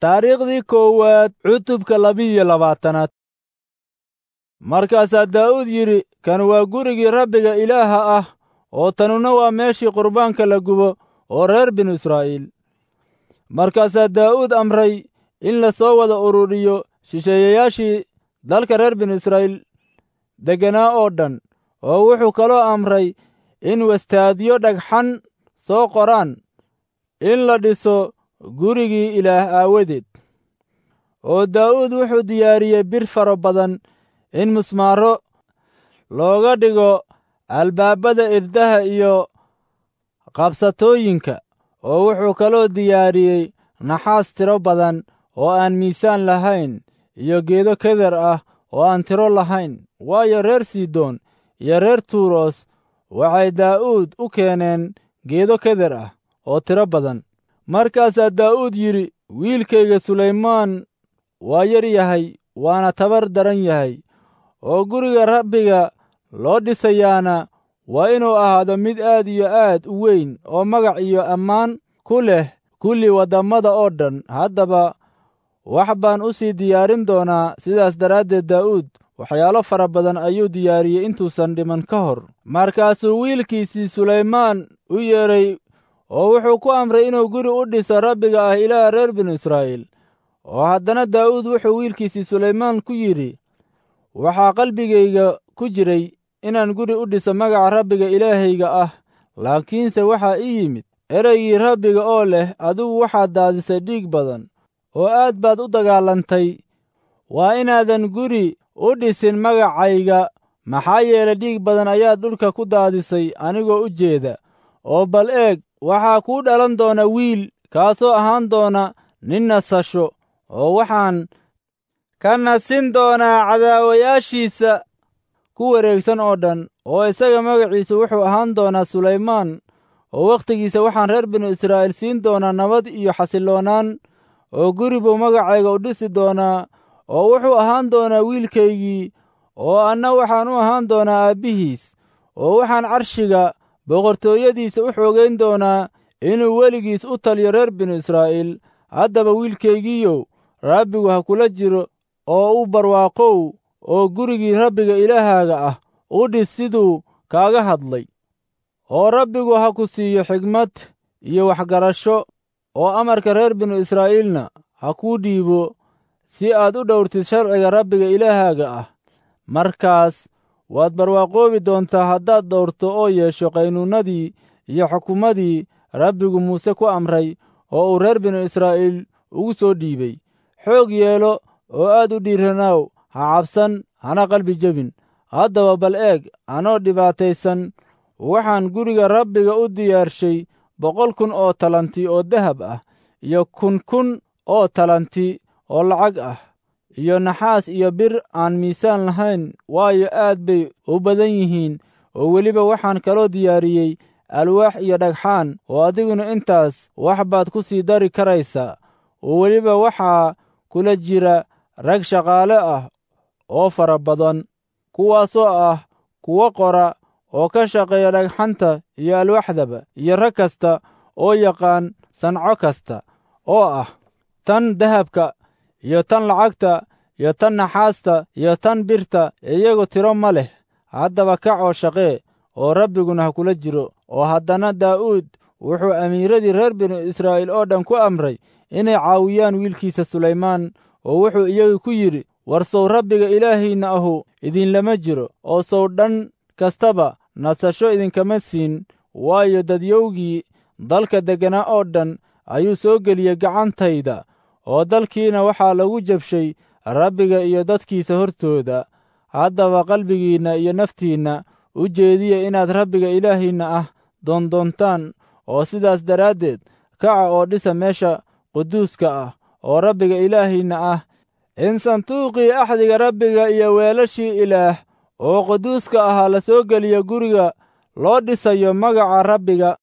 Taariikhdii koowaad cutubka 22aad. Markaasaa Daa'uud yidhi, kan waa gurigii Rabbiga Ilaaha ah, oo tanuna waa meeshii qurbaanka la gubo oo reer binu Israa'iil. Markaasaa Daa'uud amray in la soo wada ururiyo shisheeyayaashii dalka reer binu Israa'iil degganaa oo dhan, oo wuxuu kaloo amray in wastaadyo dhagxan soo qoraan in la dhiso gurigii Ilaah aawadeed. Oo Daa'uud wuxuu diyaariyey bir faro badan in musmaaro looga dhigo albaabada irdaha iyo qabsatooyinka, oo wuxuu kaloo diyaariyey naxaas tiro badan oo aan miisaan lahayn iyo geedo keder ah oo aan tiro lahayn. Waayo, reer Sidoon iyo reer Tuuros waxay Daa'uud u keeneen geedo keder ah oo tiro badan. Markaasaa Daa'uud yidhi, wiilkayga Sulaymaan waa yar yahay, waana tabar daran yahay, oo guriga Rabbiga loo dhisayaana waa inuu ahaado mid aad iyo aad u weyn oo magac iyo ammaan ku leh kulli waddammada oo dhan. Haddaba wax baan u sii diyaarin doonaa. Sidaas daraaddeed Daa'uud waxyaalo fara badan ayuu diyaariyey intuusan dhiman ka hor. Markaasuu wiilkiisii Sulaymaan u yeedhay oo wuxuu ku amray inuu guri u dhiso Rabbiga ah Ilaaha reer binu Israa'iil. Oo haddana Daa'uud wuxuu wiilkiisii Sulaymaan ku yidhi, waxaa qalbigayga ku jiray inaan guri u dhiso magaca Rabbiga Ilaahayga ah, laakiinse waxaa ii yimid ereygii Rabbiga oo leh, adigu waxaad daadisay dhiig badan oo aad baad u dagaalantay. Waa inaadan guri u dhisin magacayga, maxaa yeelay dhiig badan ayaad dhulka ku daadisay anigoo u jeeda. Oo bal eeg, waxaa kuu dhalan doona wiil, kaasoo ahaan doona nin nasasho, oo waxaan ka nasin doonaa cadaawayaashiisa ku wareegsan oo dhan, oo isaga magaciisu wuxuu ahaan doonaa Sulaymaan, oo wakhtigiisa waxaan reer binu Israa'iil siin doonaa nabad iyo xasilloonaan, oo guri buu magacayga u dhisi doonaa, oo wuxuu ahaan doonaa wiilkaygii, oo anna waxaan u ahaan doonaa aabbihiis, oo waxaan carshiga boqortooyadiisa u xoogayn doonaa inuu weligiis u taliyo reer binu Israa'iil. Haddaba wiilkaygiiyow, Rabbigu ha kula jiro oo u barwaaqow, oo gurigii Rabbiga Ilaahaaga ah u dhis siduu kaaga hadlay. Oo Rabbigu ha ku siiyo xigmad iyo waxgarasho, oo amarka reer binu Israa'iilna ha kuu dhiibo si aad u dhowrtid sharciga Rabbiga Ilaahaaga ah. Markaas waad barwaaqoobi doontaa haddaad dhowrto oo yeesho qaynuunnadii iyo xukumadii Rabbigu Muuse ku amray oo uu reer binu Israa'iil ugu soo dhiibay. Xoog yeelo oo aad u dhiiranaaw, ha cabsan, hana qalbi jebin. Haddaba bal eeg, anoo dhibaataysan waxaan guriga Rabbiga u diyaarshay 100,000 oo talanti oo dahab ah, iyo 1000 oo talanti oo lacag ah, iyo naxaas iyo bir aan miisaan lahayn, waayo aad bay u badan yihiin. Oo weliba waxaan kaloo diyaariyey alwaax iyo dhagxaan, oo adiguna intaas wax baad ku sii dari karaysaa. Oo weliba waxaa kula jira rag shaqaale ah oo fara badan, kuwaasoo ah kuwo qora oo ka shaqeeya dhagxanta iyo alwaaxdaba, iyo rag kasta oo yaqaan sanco kasta oo ah tan dahabka iyo tan lacagta iyo tan naxaasta iyo tan birta, iyagu tiro ma leh. Haddaba kac oo shaqee, oo Rabbiguna ha kula jiro. Oo haddana Daa'uud wuxuu amiiradii reer binu Israa'iil oo dhan ku amray inay caawiyaan wiilkiisa Sulaymaan, oo wuxuu iyagu ku yidhi, war sow Rabbiga Ilaahiinna ahu idinlama jiro, oo sow dhan kastaba nasasho idinkama siin, waayo dadyowgii dalka degganaa oo dhan ayuu soo geliyey gacantayda, oo dalkiina waxaa lagu jabshay Rabbiga iyo dadkiisa hortooda. Haddaba qalbigiinna iyo naftiinna u jeediya inaad Rabbiga Ilaahiinna ah doondoontaan, oo sidaas daraaddeed kaca oo dhisa meesha quduuska ah oo Rabbiga Ilaahiinna ah, in sanduuqii axdiga Rabbiga iyo weelashii Ilaah oo quduuska ahaa la soo geliyo guriga loo dhisayo magaca Rabbiga.